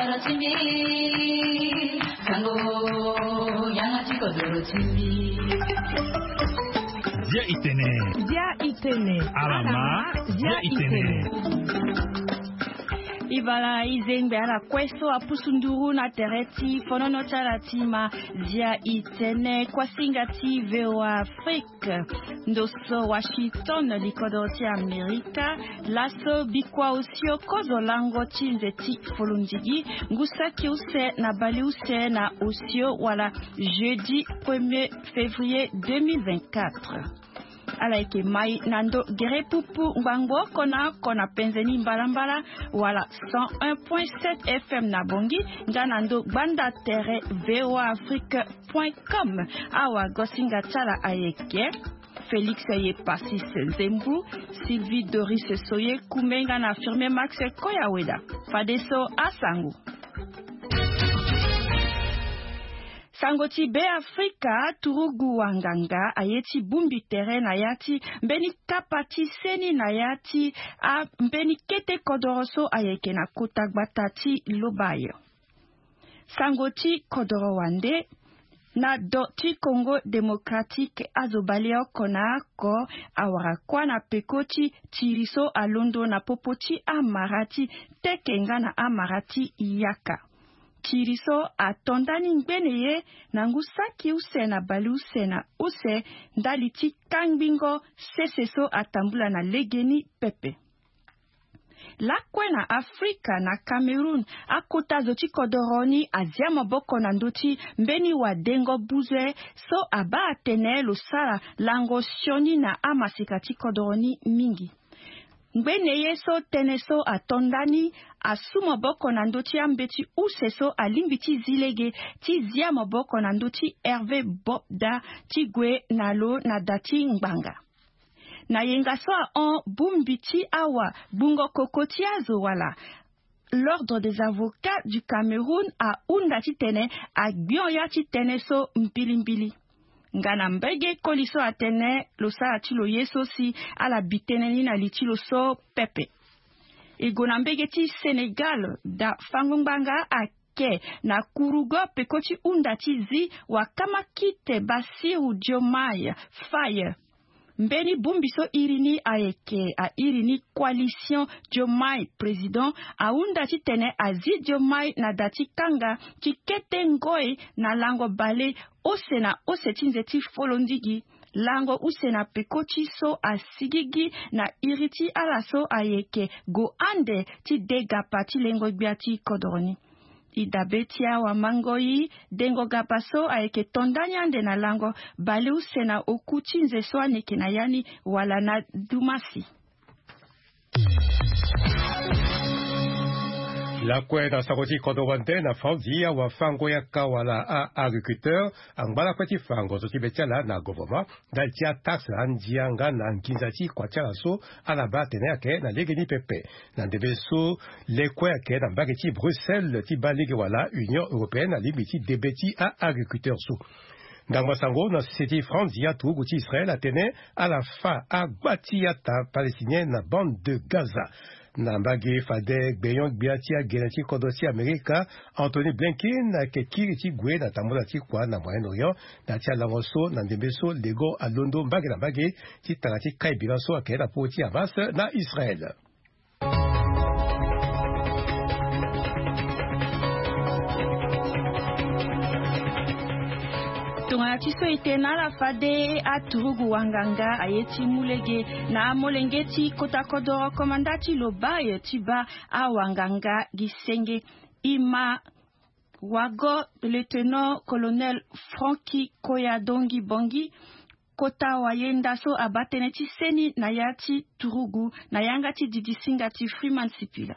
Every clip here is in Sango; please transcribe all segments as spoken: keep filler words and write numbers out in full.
Dia itene. Dia itene. Alama. Dia itene. Ibala izengbe ala kue so apusu nduru na tere ti fonono ti ala ti ma dia itene, kuasinga ti VOA Afrique. Ndo so Washington, likodoro ti Amerika. Laso bikua osio kozo lango ti nze ti folondigi, ngu saki use na baleuse na osio wala jeudi premier février deux mille vingt-quatre. Ala yeke mai na ndo gere pupu ngbangbo oko na oko na penze ni mbalambala, wala cent un point sept F M na Bangui, nga na ndo gbanda tere V O A Afrique point com. Awa gosinga ti ala ayeke Félix Ye Passis Nzembu, Sylvie Doris Soye Kumenga na Firme Max Koyaweda. Fadeso asango. Sango ti Be Afrika, turugu wanganga aye ti bongbi tere na ya ti mbeni kapa ti seni na ya ti a mbeni kete kodoro so ayeke na kota gbata ti Lobaye. Sango ti kodoro wande, na do ti Congo Démocratique, azo baleoko na oko awara kuâ na peko ti tiri so alondo na popo ti amara ti teke nga na amara ti yaka. Tiri so ato ndani ngbene ye na ngu saki use na baleuse na use ndali ti kangbingo sese so atambula na legeni pepe. Lakue na Afrika, na Cameroun, akota zo ti kodoro ni azia maboko na ndö ti mbeni wadengo buzue so abaa atene lo sara lango sioni na amaseka ti kodoro ni mingi. Ngbene ye so tënë so ato ndani asu maboko na ndö ti ambeti use so alingbi ti zi lege ti zia maboko na ndö ti Hervé Bobda ti gue na lo na da ti ngbanga. Na yenga so ahon bongbi ti awa gbungo koko ti azo wala l'Ordre des avocats du Cameroun ahunda titene agbion ya ti tënë so mbilimbili. Nga na mbege koli so atene lo sara ti lo ye so si ala bi tënë ni na li ti lo so pepe. E gue na mbege ti Sénégal, da fango ngbanga ake na kurugo peko ti hunda ti zi wakamakite Bassirou Diomaye Faye. Mbeni bongbi so iri ni ayeke airi ni Coalition Diomaye Président ahunda titene azi Diomaye na da ti kanga ti kete ngoi na lango bale use na use ti nze ti folondigi, lango use na peko ti so asigigi na iri ti ala so ayeke go ande ti de gapa ti lengo gbia ti kodoro ni. E dabe ti awamangoi, dengo gapa so ayeke to ndani ande na lango baleuse na oku ti nze so ani yeke na ya ni wala na dumasi. Lakue na sango ti kodro wande na Franzi, awafango yaka wala a-agriculteur angba lakue ti fa ngozo ti be ti ala na gouvernement ndali ti ataxe, andia nga na nginza ti kua ti ala so ala baa atene ayeke na lege ni pepe. Na ndembe so lekue ayeke na mbage ti Bruxelles ti baa lege wala Union Européenne alingbi ti debe ti a-agriculteur so. Ndangba sango na sese ti France, ya turugu ti Israël atene ala fa agba ti yata palestinien na bande de Gaza. Na mbage fade gbenyo-gbia ti agele ti kodro ti Amerika, Anthony Blinken ayeke kiri ti gue na tambula ti kua na Moyen-Orient na ya ti alango so na ndembe so lego alondo mbage na mbage ti tanga ti kai bira so ayeke na popo ti Hamas na Israël. Tongana ti so e tene na ala fade, aturugu wanganga aye ti mu lege na amolenge ti kota kodoro komanda ti Lobaye ti baa awanganga gi senge. E ma wago lieutenant-colonel Francky Koyadongi Bongi, kota wayenda so abaa tënë ti seni na ya ti turugu na yanga ti didisinga ti Freeman Sipila.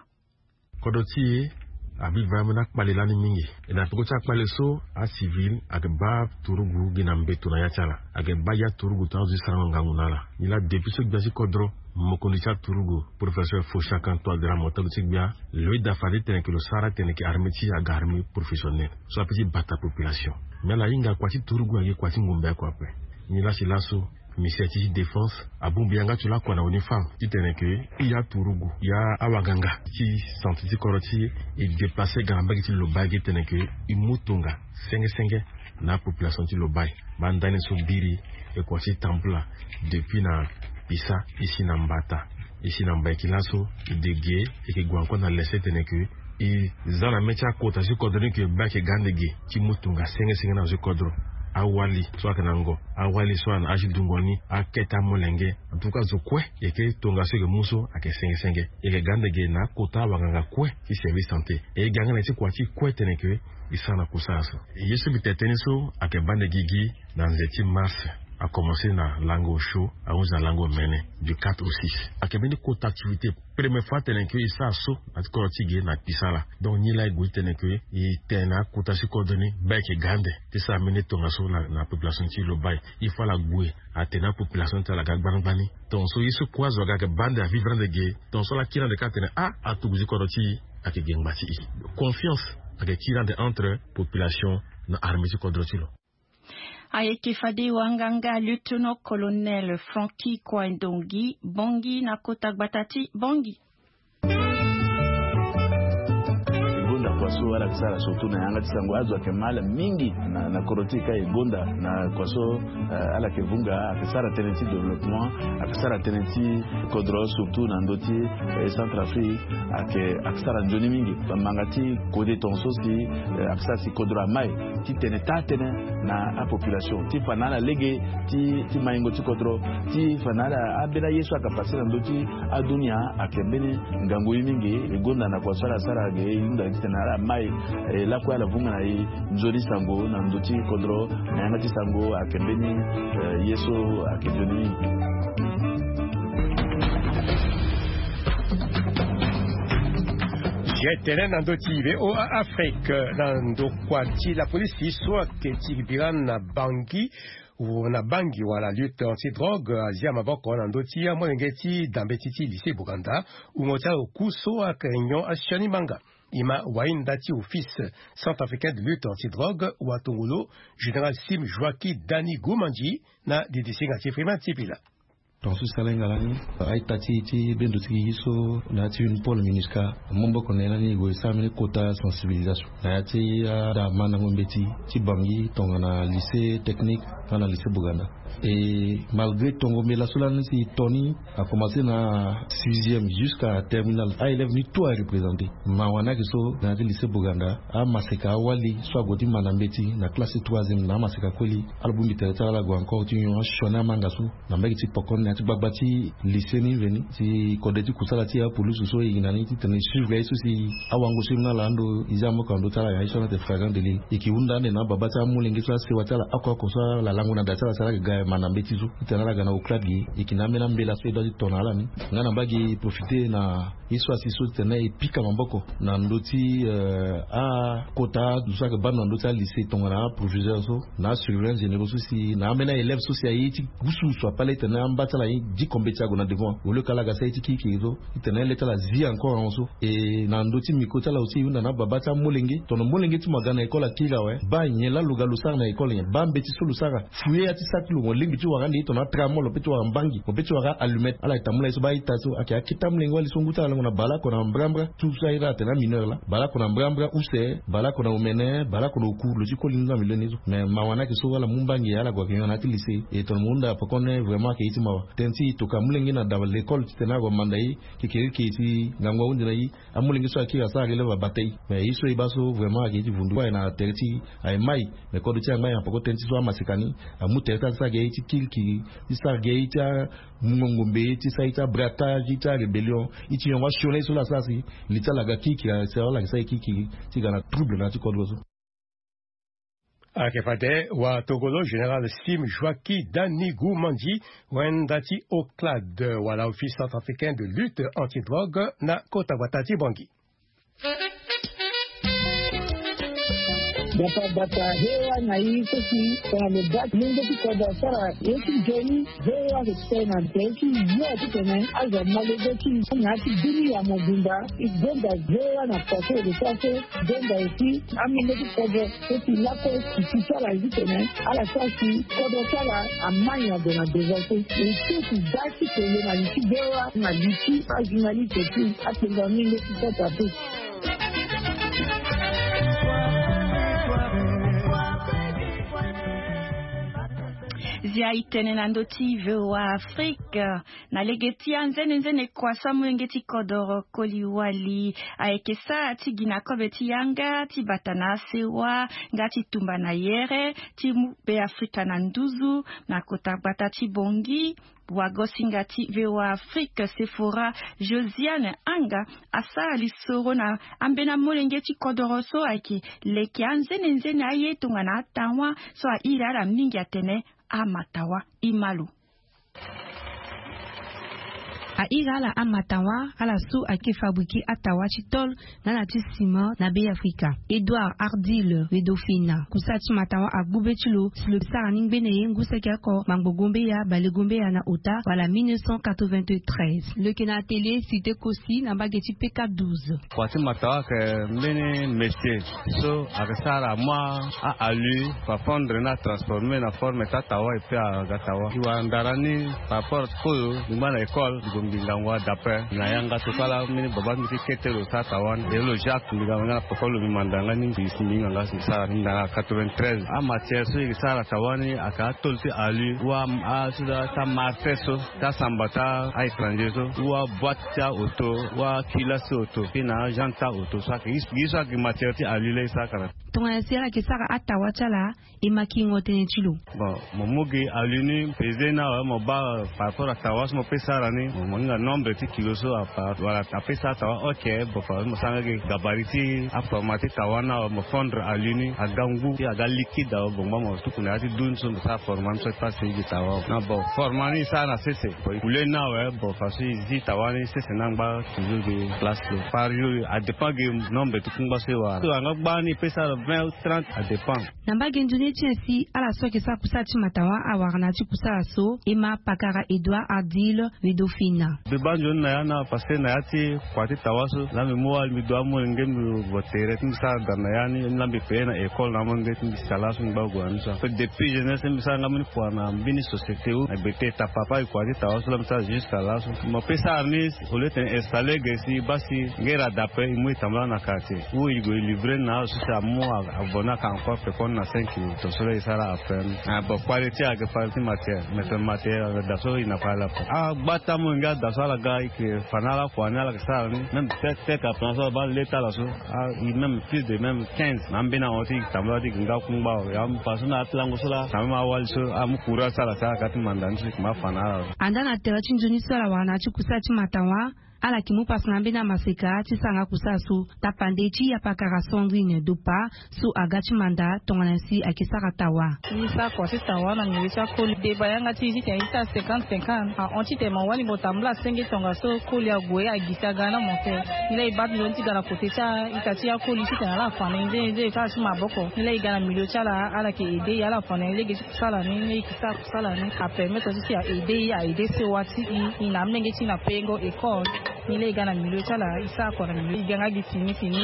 Kodro ti e abi vraiment na akpale lani mingi. E na peko ti akpale so, acivil ayeke baa turugu gi na mbeto na ya ti ala. Ayeke baa ya turugu tongana azo ti sarango ngangu na ala. Nilaa depuis so gbia ti kodro, mokonzi ti aturugu, professeur Faustin Archange Touadéra, motolu ti gbia, lo yeda fade titene ke lo sara titene ke armée ti e aga armée professionnelle so apeut ti bata population. Mais ala hinga kua ti turugu ayeke kua ti ngumbe oko ape. Nilaa si laso Ministre ti défense abongbi yanga ti lakua na uniforme titene ke i aturugu ya awaganga ti santé ti kodro ti e déplacer ga na mbage ti Lobaye gi titene ke i mu tonga senge senge na apopulation ti Lobaye. Baa ndani so biri e kua ti tambula depuis na Pisa, e si na Mbata, e si na Mbaiki laso, e de ge, e ke gue encore na lese titene ke e za na mê ti akota ti kodro ni ke baa ayeke ga ande ge ti mu tonga senge senge na zo ti kodro. Awali so ayeke na ngo, awali so ayeke na âge dungo ni, akete amolenge. En tout cas zo kue e ke tongaso e ke mu so ayeke senge senge. E ke ga ande ge na akota awanganga kue ti service santé. E ga nga na ye ti kua ti kue titene ke e sara na kusala so. Ye so mbi tene tënë so ayeke baa ande gigi na nze ti mars. Akomanse na lango osio ahunzi na lango omene du quatre au six. Ayeke mbeni kota activité première fois titene ke e sara so na ti kodro ti e ge na Pisa laa. Donc nilaa e gue titene ke e tene na akota ti kodro ni baa e yeke ga ande ti sara mbeni tongaso na, na population ti Lobaye. Il faut ala gue atene apopulation ti ala aga gbani gbani. Tongaso ye so kue azo aga ayeke baa ande avivre ande ge. Tongaso ala kiri ande kâ atene ah, atugu ti kodro ti e ayeke ge ngba ti e. Confiance ayeke kiri ande entre population na armée ti kodro ti lo. Ayeke fade wanganga lieutenant colonel Francky Kouaï Ndongi Bongi na kota gbata ti Bongi. E gonda kua so ala yeke sara surtout na yanga ti sango. Azo ayeke mal mingi na, na kodro ti e ka e gonda na kua so, eh, ala yeke vunga, ayeke sara tënë ti développement, ayeke sara tënë ti kodro surtout na ndö ti, eh, Centrafrique, ayeke, ayeke sara nzoni mingi. Bamanga ti kode tongaso si, eh, ayeke sara si kodro amai. Ti tene taa tënë na apopulation ti fa na ala lege ti, ti maingo ti kodro, ti fa na ala ambeni aye so ayeke pase na ndö ti adunia. Ayeke mbeni ngangu ye mingi. E gonda na kua so ala sara ge, e hunda titene ala mai, eh, lakue ala vunga na e nzoni sango na ndö ti kodro na yanga ti sango. Ayeke mbeni, eh, ye so ayeke nzoni mingi. Ye tene na ndö ti V O A Afrique, na ndokua ti lapolisi so ayeke ti bira na Bangui, na Bangui wala lutte anti-drogue, azia maboko na ndö ti amolenge ti dambe ti, ti lycée Boganda, wungo ti aloku so ayeke nyon asioni manga. E ma wahinda ti office centrafricain de lutte anti-drogue, watongolo général Sim Joaquim Dani Goumandji, na didisinga ti Freeman Sipila. Tongaso e sara hinga lani, a-ita ti e ti bendo ti gigi so na ya ti Unipol MINUSCA amu maboko na e lani e gue e sara mbeni kota sensibilisation na ya ti ada mandango mbeti ti Bangui tongana lycée technique nga na lycée Boganda. E malgré tongo mbela so lani si e to ni, a commencé na sixième jusqu'à terminale, a-élève ni tout a représenté. Mawa ni ayeke so na ya ti lycée Boganda, amaseka awali so ague ti manda mbeti na classe ti troisième na amaseka koli, ala bongbi tere ti ala ala gue encore ti nyon asioni amanga so na mbage ti poko ni na ya ti gbagba ti lycée ni veni. Si kode ti kusala ti apolisi so e yeke na ni titene e suivre aye so si awango so e mu na ala ando e zia maboko na ndö ti ala, aye so ala tene flagrant délit. E yeke hunda ande na ababa ti amolenge so asewa ti ala oko oko so ala lango na da ti ala si ala yeke ga manda mbeti so titene ala ga na oclade ge. E yeke na ambeni ambela so e doit ti to na ala ni. Nga na mbage e profité na ye so asi so titene e pika maboko na ndö ti, eh, akota zo so ayeke baa ndo na ndö ti alycée tongana aproviseur so na asurveillant généraux so si na ambeni aélève so si aye ti gusu so apale titene amba ti ala aye diko mbeti ague na devant. Au lieu ka ala ga sara ye ti kirikiri so titene le ti ala zi encore ahon so. E na ndö ti micro ti ala aussi e hunda na ababa ti amolenge, tongana molenge ti mo aga na école akiri awe, baa nyen laa lo ga lo sara na école nyen, baa mbeti so lo sara. Fouiller ya ti sac ti lo, mo lingbi ti wara ande ye tongana atramol, mo peut ti wara mbangi, mo peut ti wara allumette. Ala yeke tambula ye so baa a-ita so ayeke akete amolenge wali so ngu ti ala lango na baleoko na mbrambra. Tout so aye laa atene amineur laa, baleoko na mbrambra use, baleoko na omene, baleoko na oku, lo ti koli ni so na milieu ni so. Mais mawa ni ayeke so ala mu mbangi ala gue ayeke nyon na ya ti lycée. E tongana mo hunda poko ni vraiment ayeke ye ti mawa. Tënë ti e toka amolenge na da l'école titene ague amanda e, kekereke ti ngangu ahunzi na e. Amolenge so akiri asara relève abata e. Mais ye so e baa so vraiment ayeke ye ti vundu kue na tere ti e aye mai. Mais kodro ti e aye mai na poko tënë ti so amaseka ni amu tere ti ala ti sara gi aye ti kirikiri, ti sara gi aye ti amungo ngombe, ti sara ye ti abraquage, ye ti arébellion, ye ti yongo asioni aye so laa asara si li ti ala aga kirikiri, asara ala yeke sara ye kirikiri ti ga na trouble na ya ti kodro so. Ayeke fade watongolo général Sim Joaquim Dani Goumandji, wenda ti OCLAD wala Office centrafricain de lutte anti-drogue na kota gbata ti Bangui. Bata bata hewa na i so si tongana lo baa ti lenge ti kodro asara ye ti nzoni. Hewa so ti tene na nze ti yo ti tene azo amolenge ti na ya ti bini ya mobimba. I gonda hewa na paso lo sara so. Gonda aussi amolenge ti kodro so si lakue si ti sara ye ti tene ala sara si kodro ti ala amai na gue na devant so. E so si da ti tene na li ti hewa na li ti ajournaliste ti atengo amolenge ti kota pe. Zia i tene na ndö ti V O A Afrique. Na lege ti anzenenzene kua so amolenge ti kodoro koli wali ayeke sara ti gi na kobe ti yanga ti bata na asewa nga ti tumba na yere ti mu Beafrika na nduzu na kota gbata ti Bongi. Wagosinga ti V O A Afrique Sephora Josiane Anga asara lisoro na ambeni amolenge ti kodoro so ayeke leke anzenenzene aye tongana atawa so airi ala mingi atene amatawa. Imalo. Airi ala amatawa ala so ayeke fabriquer atawa ti tol nga na ti ciment na Beafrika. Edouard Ardil Wedofina kusala ti matawa agbu be ti lo si lo sara ni ngbene ye ngu seke oko mangbongo mbeya bale gombeya na ota wala mille neuf cent quatre-vingt-treize. Lo yeke na atelier Cité Kosi na mbage ti P K douze. Kua ti matawa ayeke mbeni métier so ayeke sara mua a-alu fa fondre ni atransporme na forme ti atawa. Pe aga tawa ti wara ndara ni par rapport ti kozo lingba na école. Gongbingango adape na yanga tokala mbeni baba mbi ti kete lo sara tawa ni. E lo Jacques mbi ga nga na poko lo mbi manda nga ni mbi si mbi hinga nga si sara ni ndara quatre-vingt-treize. Amatière so e sara tawa ni ayeke atôle ti alu wa aso ti amarte so ti asamba ti a-étranger so wa boîte ti aoto wa kilasi ti oto pe na agente ti aoto so ayeke gi so ayeke matière ti alu laa e sara kara. Tongana si ala yeke sara atawa ti ala e ma kingo tënë ti lo. Bon, mo mu gi alu ni peze ni awe mo baa par rapport atawa so mo pe sara ni mo hinga nombre ti kilo so apa wala ape sara tawa. Ok. Bon, par exemple mo sara nga gi gabari ti aforma ti tawa ni awe mo fondre alu ni aga ngu ti aga liquide awe bongbang mo tuku na ya ti du ni so mo sara forma ni so ti pase gi tawa. Na bon forma ni e sara na sese. Bon e kule ni awe bon façon e zi tawa ni sese ni angba toujours gi place lo par jour. Adépend gi nombre ti kungba so e wara so anga gbani e pe sara vingt ou trente adépend. Na mbage nzoni ti nyen si ala so ayeke sara kusala ti matawa awara na ya ti kusala so e ma pakara Edouard Ardil Wedofina. Mbi baa nzoni na ya ni awe parce que na ya ti kua ti tawa so laa mbi mu wali mbi du amolenge mbi vo tere ti mbi sara da na ya ni laa mbi paye na école na amolenge ti mbi si ta laso mbi ngba gue na ni so. Ape depuis jeunesse mbi sara nga mbeni kua na mbeni société ou na gbe te ta papa e kua ti tawa so laa mbi sara jusqu'à laso. Mo pe sara ni au lieu tene installer ge si e baa si ngera dape e mu e tambula na quartier ou e gue e livrer ni na ala so si amu avo ni aka encore pekoni na cinq mille. Tongaso laa e sara affaire ni. Ah bon, qualité ayeke fade ti matière mais tene matière ayeke da so e na fade lapo. Agba ti amolenge ada so ala ga e yeke fa na ala kua ni ala yeke sara ni même tek tek aplan so abaa le ti ala so. Ah, e même plus de même quinze na ambeni ahon ti e yeke tambula ti e yeke nga kungba awe ya mbi fa so na ya ti lango so laa quand même awali so amu courage ti ala si ala ga ti manda ni so e yeke ma fa na ala. Andaa na tere ti nzoni so ala wara na ya ti kusala ti matawa. Ala yeke mu pasa na ambeni amaseka ti sara nga kusala so tapande ti apakara Sandrine Dopa so aga ti manda tongana si ayeke sara tawa. Ni sara kua ti tawa na milieu ti akoli deba yanga ti e titene e sara cinquante cinquante ahon titene mo wali mo tambula senge tongaso koli ague agisi aga na mo te. Ni laa e baa ti nzoni ti ga na kote ti a-ita ti akoli titene ala afa na e nzene nzene ti ala ti maboko ni laa e ga na milieu ti ala ala yeke aide e ala afa na e lege ti kusala ni ni e yeke sara kusala ni apermettre ti si a aide e a aide sewa ti e e na amolenge ti e na payengo école. Ni laa e ga na milieu ti ala e sara kua na milieu e ga nga gi fini fini.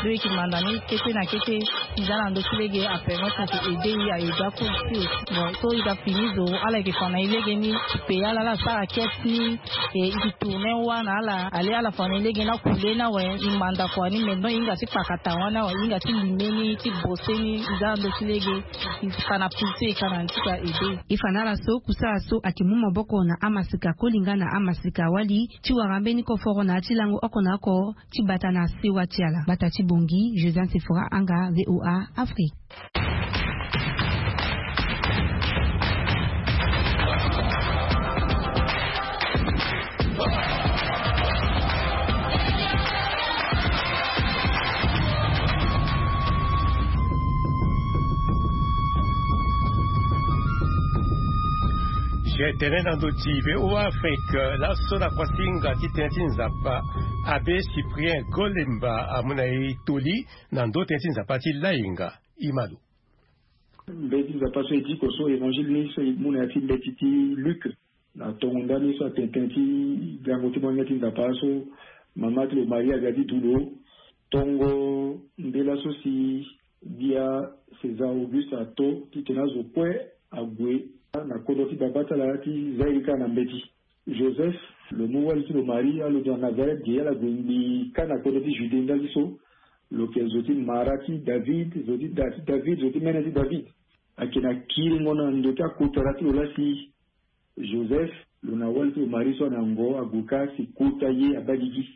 Lo e yeke manda ni kete na kete e za na ndö ti lege apermettre ti aide e a aide akoli ti e. Bon so e ga fini zo ala yeke fa na e lege ni e paye ala ala sara caisse ni. E e yeke tourner wâ na ala ale ala fa na e lege ni akule ni awe. E manda kua ni maintenant e hinga ti kpaka tawa ni awe e hinga ti lime ni ti bose ni e za na ndö ti lege. E fa na pulse e ka na ni ti ka aide e. E fa na ala so kusala so ayeke mu maboko na amaseka koli nga na amaseka wali ti wara mbeni koforo na ya ti lango oko na oko ti bata na sewa ti ala. Gbata ti Bongi, Josiane Sephora Anga, V O A Afrique. Tene na ndö ti V O A Afrique laso na kuasinga ti tënë ti Nzapa, Abbé Cyprien Golemba amu na e toli na ndö tënë ti Nzapa ti lainga. Imalo. Mbeti Nzapa so e diko so, évangile ni so e mu na ya ti mbeti ti Luc, na tongo ndani so atene tënë ti gango ti molenge ti Nzapa so mama ti lo Maria aga ti du lo. Tongo mbela so si gbia César Auguste ato titene azo kue ague na kodro ti baba ti ala ti za ye kâ na mbeti. Joseph, lo mu wali ti lo Marie, alondo na Nazareth ge, ala gue ngbii kâ na kodro ti Judée ndali so. Lo yeke zo ti mara ti David, zo ti da ti David, zo ti mene ti David. Ayeke na kiringo na ndo ti akotara ti lo laa si Joseph, lo na wali ti lo Marie so ana ngo, ague kâ si kota ye abaa gigi.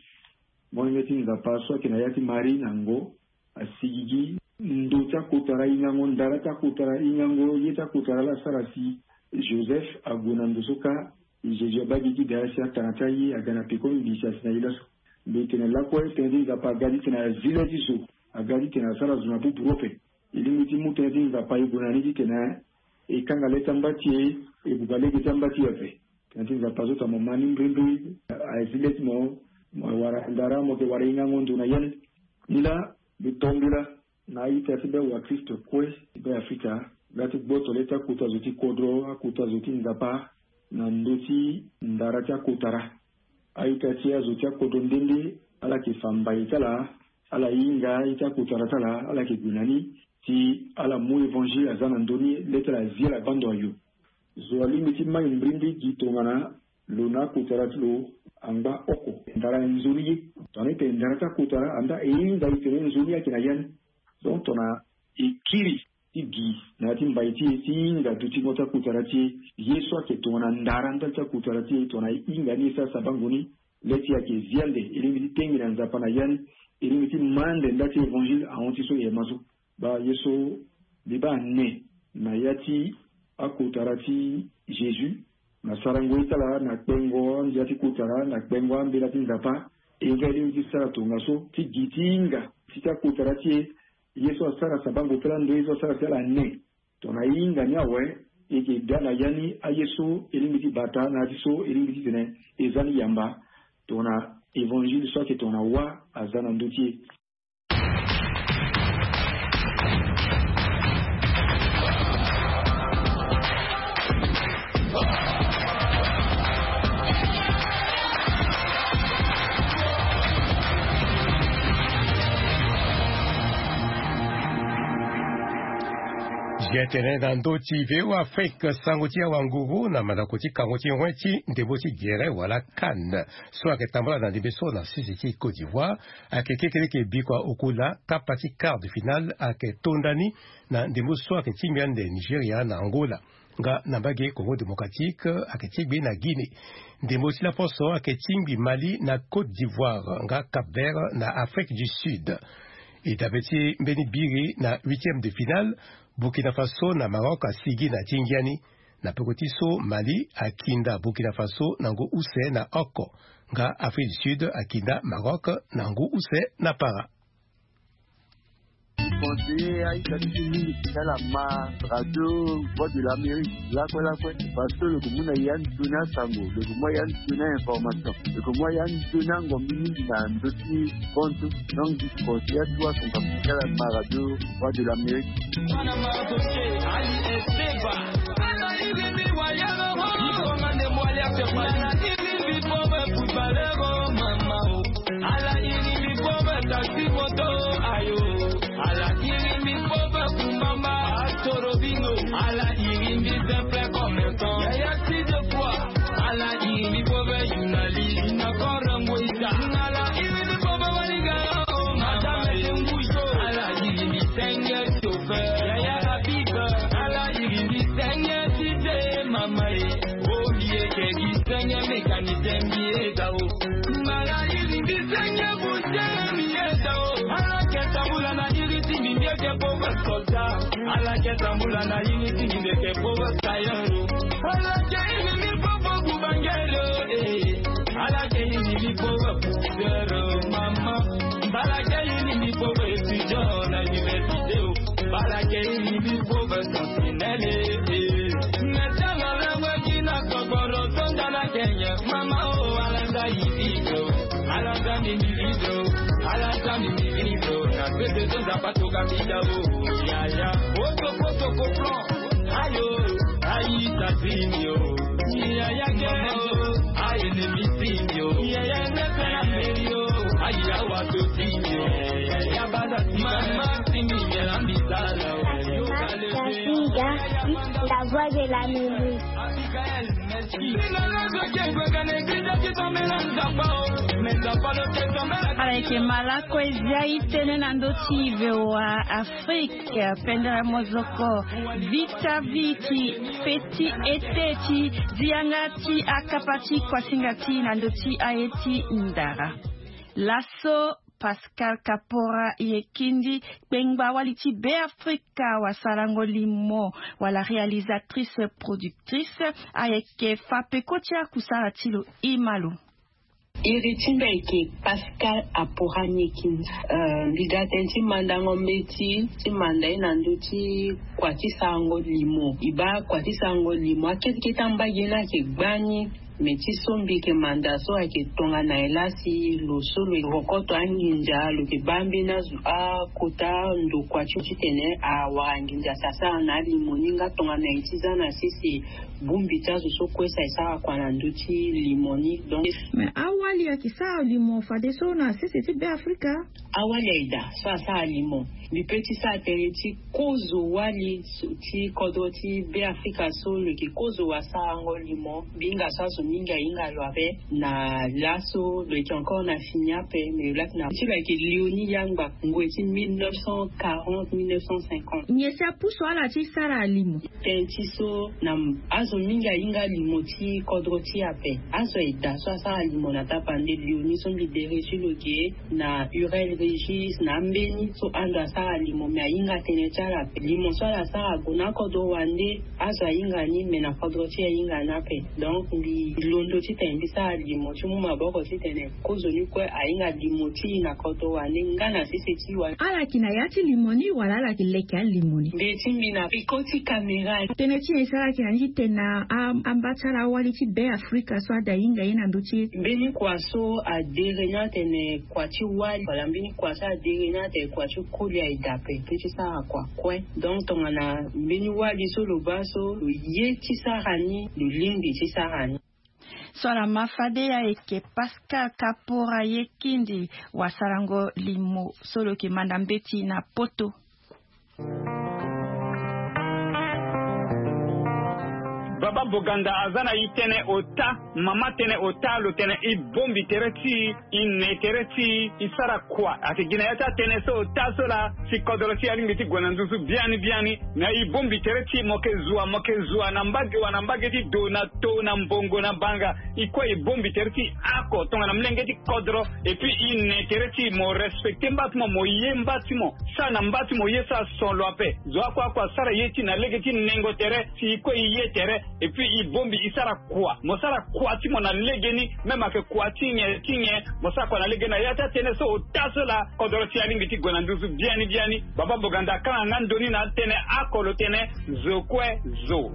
Molenge ti Nzapa so ayeke na ya ti Marie na ngo, asi gigi. Ndo ti akotara, hingango ndara ti akotara, hingango ye ti akotara laa asara si Joseph ague na ndo so kâ. Jésus abaa gigi daa si atanga ti aye aga na peko ngbii si asi na ye laso. Mbi tene lakue tënë ti Nzapa aga titene azi le ti zo, aga titene asara zo na bubu ape. E lingbi ti mu tënë ti Nzapa e gue na ni titene e kanga le ti amba ti e, e buba lege ti amba ti e ape. Tënë ti Nzapa so tongana mo ma ni mbrimbri, azi le ti mo, mo wara ndara, mo yeke wara hingango ndo na ya ni. Ni laa mbi to mbela na a-ita ti be wakristo kue ti be Afrika, nga ti gboto le ti akota zo ti kodro, akota zo ti Nzapa na ndö ti ndara ti akotara. A-ita ti azo ti akodro nde nde ala yeke fa mbai ti ala, ala hinga ye ti akotara ti ala, ala yeke gue na ni ti ala mu évangile aza na ndö ni, le ti ala azi ala baa ndo ayo. Zo alingbi ti mai mbrimbri gi tongana lo na akotara ti lo angba oko. Ndara nzoni ye. Tongana e tene ndara ti akotara, andaa e hinga e tene nzoni ayeke na ya ni. Donc tongana e kiri ti gi na ya ti mbai ti e ti hinga dutingo ti akotara ti e, ye so ayeke tongana ndara ndali ti akotara ti e, tongana e hinga ni e sara sabango ni, le ti e ayeke zi ande. E lingbi ti tenge na Nzapa na ya ni. E lingbi ti ma ande nda ti évangile ahon ti so e ma so. Baa ye so mbi baa ne na ya ti akotara ti Jésus, na sarango ye ti ala, na kpengo andia ti kotara, na kpengo ambela ti Nzapa. E nga e lingbi ti sara tongaso ti gi ti hinga ti ti akotara ti e, ye so asara sabango ti ala ndo, ye so asara si ala ne. Tongana e hinga ni awe, e yeke daa na ya ni aye so e lingbi ti bata na ya ti so e lingbi titene e za ni yamba. Tongana évangile so ayeke tongana wâ aza na ndö ti e. Zia tene na ndö ti V O A Afrique, sango ti awa nguru na mandako ti kango ti ngoi ti ndembo ti gere wala CAN, so ayeke tambula na ndembe so na sese ti Côte d'Ivoire, ayeke kekereke bikua okula kapa ti quart de finale ayeke to ndani na ndembo so ayeke tingbi ande Nigeria na Angola, nga na mbage Congo Démocratique ayeke tingbi na Guinée. Ndembo ti laposo ayeke tingbi Mali na Côte d'Ivoire nga Cap-Vert na Afrique du Sud. E dabe ti mbeni biri na huitième de finale, Burkina Faso na Maroc asigi na ti ngia ni. Na peko ti so, Mali akinda Burkina Faso na ngu use na oko, nga Afrique du Sud akinda Maroc na ngu use na para. Conseiller a-ita ti mingi ti ala ma radio Voix de l'Amérique lakue lakue, parce que lo yeke mu na ya ni toni asango, lo yeke mu ya ni toni a-information, lo yeke mu ya ni toni angombi mingi na ndö ti kontu. Donc conseiller atu asunga ti ala ma radio Voix de l'Amérique. Ala iri mbi pauvre taxi moto, ayo. Ala iri mbi pauvre kumamba, astorobino. Ala iri mbi simple commerçant, yaya ti de quoi. Ala iri mbi pauvre journaliste, na korongo ita. Ala iri mbi pauvre waligara, oh, madame Tengujo. Ala iri mbi senge chauffeur, yaya Habib. Ala iri mbi senge ti te, mama e. Olie ke gi senge mécanicien mbi e da o. Mbala iri mbi senge boucher mbi e da o. Ala ke tambula na iri ti mbi, mbi eke pauvre soldat. Ala ke tambula na iri ti mbi, mbi eke pauvre tailleur o. Ala ke iri mbi pauvre boubangere o, eh. Ala ke iri mbi pauvre pousseur o, mama. Mbala ke iri mbi pauvre étudiant na université o. Mbala ke iri mbi pauvre sentinelle, eh. Metala langue kina koboro tonda na Kenya. Mama o, ala nda iri o. Ala nda mbi mbi o. Ala nda mbi mbi o. Na Pepe to zapa to kapita o. Yaya. Otoko toko plan. Ayo. Ayi tazinho. Yaya gero. Ayi nemisinho. Yaya nefela merio. Ayi awa to tinho. Yaya bada mama tinho yela mitala. Yo kale. La voix de la musique. Ala yeke malako e zia e tënë na ndö ti V O A Afrique. Pendere mozoko vita viti feti ete ti zi yanga ti akapa ti kuasinga ti na ndö ti aye ti ndara. Laso Pascal Kapora Yekindi, kpengba wali ti Beafrika, wasarango limo wala réalisatrice productrice, ayeke fa peko ti akusara ti lo. Ima lo. Iri ti mbi ayeke Pascal Apora Yekindi. Euh, mbi ga tënë ti mandango mbeti ti manda ye na ndö ti kua ti sarango limo. E baa kua ti sarango limo, akete kete ambage ni ayeke gbani. Me ti so mbi yeke manda so ayeke tongana nyen laa si lo so lo yeke rokoto anginza, lo yeke baa mbeni azo akota ndokua ti titene awara nginza si asara na alimo ni nga tongana nyen ti za na sese bongbi ti azo so kue si asara kua na ndö ti limo ni. Donc, me awali ayeke sara limo fadeso na sese ti Beafrika? Awali aye daa so asara limo. Mbi pe ti sara tënë ti kozo wali so ti kodro ti Beafrika so lo yeke kozo wasarango limo. Mbi hinga so azo mingi ahinga lo ape na laso lo yeke encore na fini ape, me lo laki na ti lo ayeke Léonie Yangba, ngoi ti mille neuf cent quarante, mille neuf cent cinquante. Nyen si apusu ala ti sara limo? Tënë ti so na azo mingi ahinga limo ti kodro ti e ape. Azo aye daa so asara limo na tapande Léonie so mbi dere ti lo ge, na Hurel Régis, na ambeni so ando asara limo, me ahinga tënë ti ala ape. Limo so ala sara ague na akodro wande, azo ahinga ni, me na kodro ti e ahinga ni ape. Donc mbi londo titene mbi sara limo ti mu maboko titene kozo ni kue ahinga limo ti e na kodro wande nga na sese ti e wande. Ala yeke na ya ti limo ni wala ala yeke leke alimo ni? Mbi ti mbi na peko ti kamera. Tënë ti nyen si ala yeke na ni ti tene na a- amba ti ala awali ti Beafrika so ada hinga ye na ndö ti e? Mbeni kua so adere ni atene kua ti wali, wala mbeni kua so adere ni atene kua ti koli aye daa ape, pe ti sara kua kue. Donc tongana mbeni wali so lo baa so lo ye ti sara ni, lo lingbi ti sara ni. So ala ma fade ayeke Pascal Kapora Yekindi, wasarango limo so lo yeke manda mbeti na poto. Baba Boganda aza na e tënë ota, mama tënë ota, lo tene e bongbi tere ti e, e ne tere ti e, e sara kua. Ayeke gi na ya ti atënë so ota so laa si kodro ti e alingbi ti gue na nduzu biani biani. Na e bongbi tere ti e, mo yeke zua, mo yeke zua na mbage wa na mbage ti do, na to, na mbongo, na banga. E kue e bongbi tere ti e oko tongana molenge ti kodro. Et puis e ne tere ti e, mo respecter mba ti mo, mo ye mba ti mo. Sara na mba ti mo ye so ason lo ape. Zo oko oko asara ye ti e na lege ti nengo tere si e kue e ye tere. Et puis e bongbi e sara kua. Mo sara kua ti mo na legeni, même ayeke kua ti nyen ti nyen, mo sara kua na legeni. Na ya ti atënë so ota so laa kodro ti e alingbi ti gue na nduzu biani biani. Baba Boganda akanga nga ndo ni na atënë oko, lo tene zo kue zo.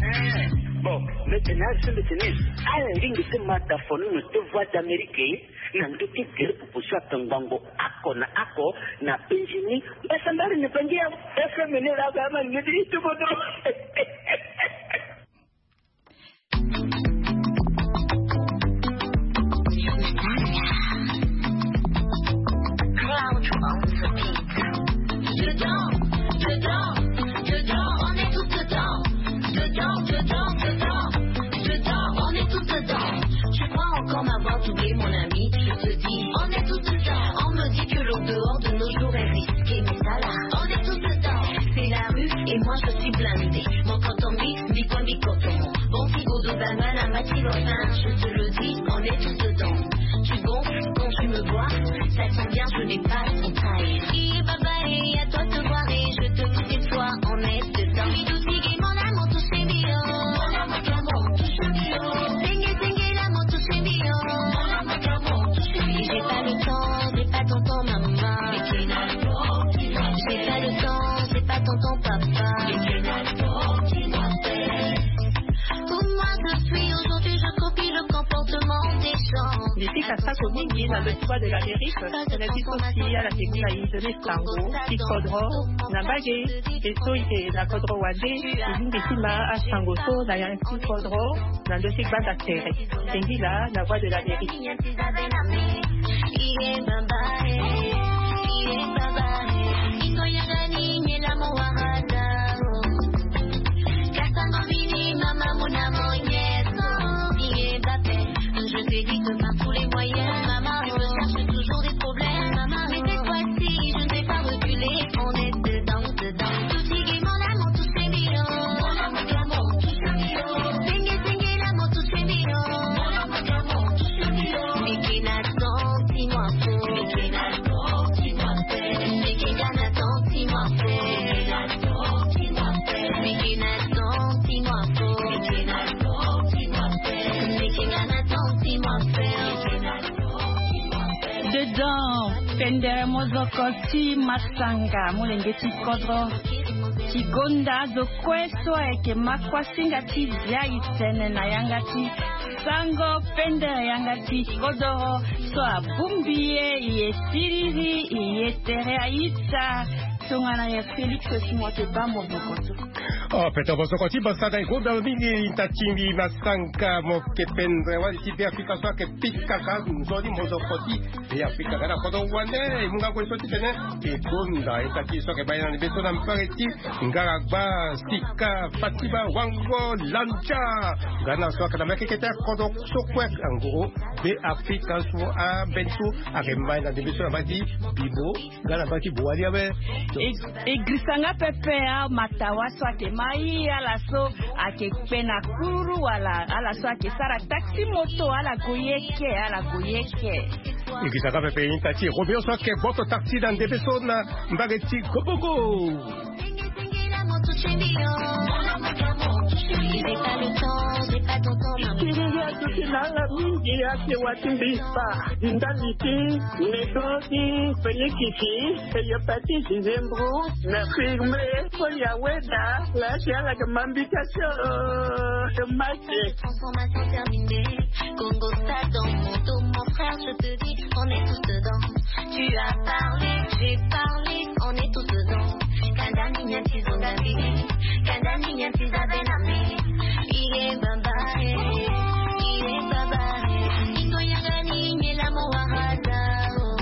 Eh, bon, mbi tene azo mbi tene ala lingbi ti ma dafono na ndö ti Voix d'Amérique na ndö ti gere pupu so akangbango oko na oko na penzi ni. Mbasambari ni bangi ya F M ni laa, ama ni ti kodro. Dedans, dedans, dedans, on est tous dedans. Dedans, dedans, dedans, dedans, on est tous dedans. Tu crois encore m'avoir doublé, mon ami? Je te dis, on est tous dedans. On me dit que le dehors de nos jours est risqué, mais ça là, on est tous dedans. C'est la rue et moi je suis blindé. Mon canton mix, mi coin, mi canton. Bon, si Godot, Batman, un match, il va faire, je te le dis, on est tous dedans. Tu gonfles quand tu me vois, ça sent bien, je n'ai pas ton taille. Crier bye bye, à toi de te voir et je te dis, cette fois, on est dedans. Midou, Tigui, mon amour, touche les millions. Mon amour, touche les millions. Zingue, zingue, l'amour, touche les millions. Mon amour, touche les millions. J'ai pas le temps, j'ai pas ton temps, maman. J'ai pas le temps, j'ai pas ton temps, papa. Pour moi, je suis aujourd'hui, je copie le comportement des gens. Asako mingi na le Voix de l'Amérique, na biso ti ala ke gi na ide na sango ti kodro na mbage. E so e na kodro wande e lingbi ti ma asango so na ya ti kodro na ndo ti gbanda tere. Sengila na Voix de l'Amérique. Je t'évite par tous les moyens, maman. Je me cherche toujours des problèmes, maman. Mais cette fois-ci, je ne vais pas reculer. On est dedans, dedans. Tout gaiement, l'amour touche les millions. Senge, senge, l'amour touche les millions. Meke na santi mwa fo. Meke na santi mwa fo. Meke na santi mwa fo. Meke na santi mwa fo. Meke na santi mwa fo. Meke na santi mwa fo. Dedans, pendere mozoko ti masanga, molenge ti kodro ti gonda zo kue so ayeke ma kuasinga ti bia e tene na yanga ti sango pendere yanga ti kodoro so abongbi ye, e ye siriri, e ye tere aita. Tongana ye Félix Timothée Bambo Bokoto. Oh, peto mosoko ti masanga e gonda mingi, ita ti mbi masanga mo ke pendere wali ti Be Afrika so ayeke pikaka nzoni mosoko ti Be Afrika nga na kodro wande. E mu nga kue so ti tene e gonda ita ti so ayeke baa ye na ni be so na mbage ti Ngaragba, Sika, Fatima, Wango, Lanja. Nga na so ayeke na mekeke ti kodro so kue angoro Be Afrika so ambeni so ayeke mba ye na ni be so na mbage ti Bibo. Nga na mbage ti Boali awe. E, e girisa nga pepe amatawa so ayeke ma ye, ala so ayeke kpe na kururu wala ala so ayeke sara taxi moto, ala gue ye ke, ala gue ye ke. E girisa nga pepe ita ti Robinho so ayeke gboto taxi na ndembe so na mbage ti Gobogo. Kiriri aduti na ala mingi ake wa ti mbi spa. Di ndali ti nego ti Félix ti hepatite zembro na firme. Koya weda la si ala ke mambi kasio de mate. Transformation terminée. Congo stade dans mon dos, mon frère, je te dis, on est tous dedans. Tu as parlé, j'ai parlé, on est tous dedans. Kanda ni nyen ti zonga mbi, kanda ni nyen ti za be na mbi. Iye baba, eh, iye baba, eh. Ingo yanga ni nyela mo wahada, oh.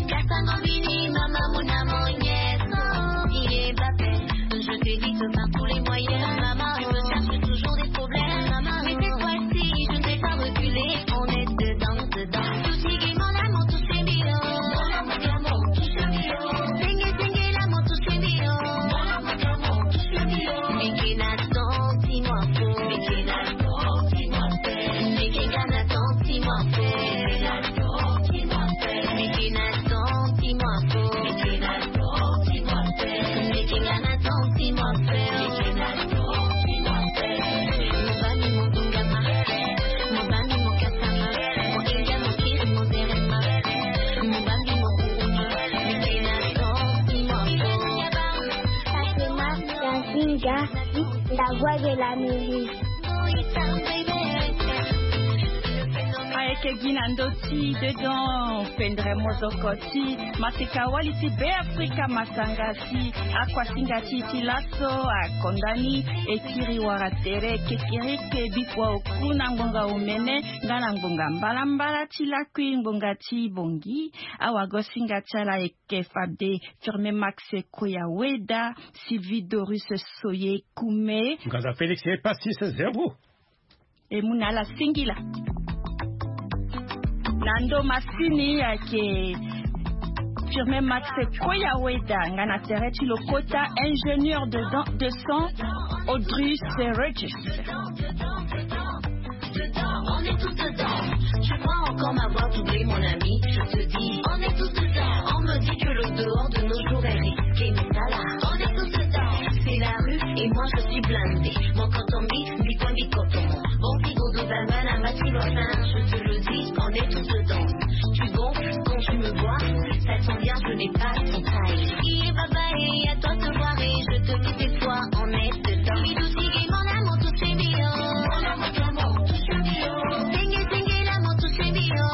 Kasango mini mama muna mo nyeso. Iye babe, je te dis que par tous les moyens, maman, je me cherche toujours des problèmes, maman. Mais cette fois-ci, je ne vais pas reculer, on est dedans, dedans. Tout ce qui m'en a mon touché mio. Senge, senge, la mon touché mio. Meke na santi mwa fo. Meke na santi mwa fo. Meke na santi mwa fo. Meke na santi mwa fo. Mobali mobungama, mobali mokasama, moinga mokiri mozerema, mobali mokuruma, meke na santi mwa fo. Fatima Kazinga, la voix de l'Amérique. Ayeke gi na ndö ti dedans, pendere mozoko ti maseka wali ti Be Afrika masanga ti akuasinga ti e ti laso akonda ni e kiri wara tere kekereke bikua oku na ngbonga omene nga na ngbonga mbalambala ti lakui ngbonga ti bongi. Awagosinga ti ala ayeke fade Firmin Max Koyaweda, Sylvie Doris Soye Kume, Ngaza Félix Epasis Zembo. E mu na ala singila. Na ndo masini ayeke Firmin Max Koyaweda, nga na tere ti lokota ingénieur de, de son Audrey Serregis. On est tous dedans. Tu crois encore m'avoir doublé, mon ami ? Je te dis, on est tous dedans. On me dit que le dehors de nos jours est risqué, mais ça là, on est tous dedans. C'est la rue et moi je suis blindé. Mon canton mix, bico bicoton. Bon, pico de bambana, ma tu vois ça, je te le dis, on est tous dedans. Tu gonfles quand tu me vois, ça sent bien, je n'ai pas ton taille. Il est baba et à toi de voir et je te dis c'est toi, on est dedans. Midou, tigui, mon amour, tout c'est mignon. Mon amour, tout c'est mignon. Senge, senge, l'amour, tout c'est mignon.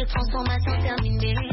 Transformation terminée.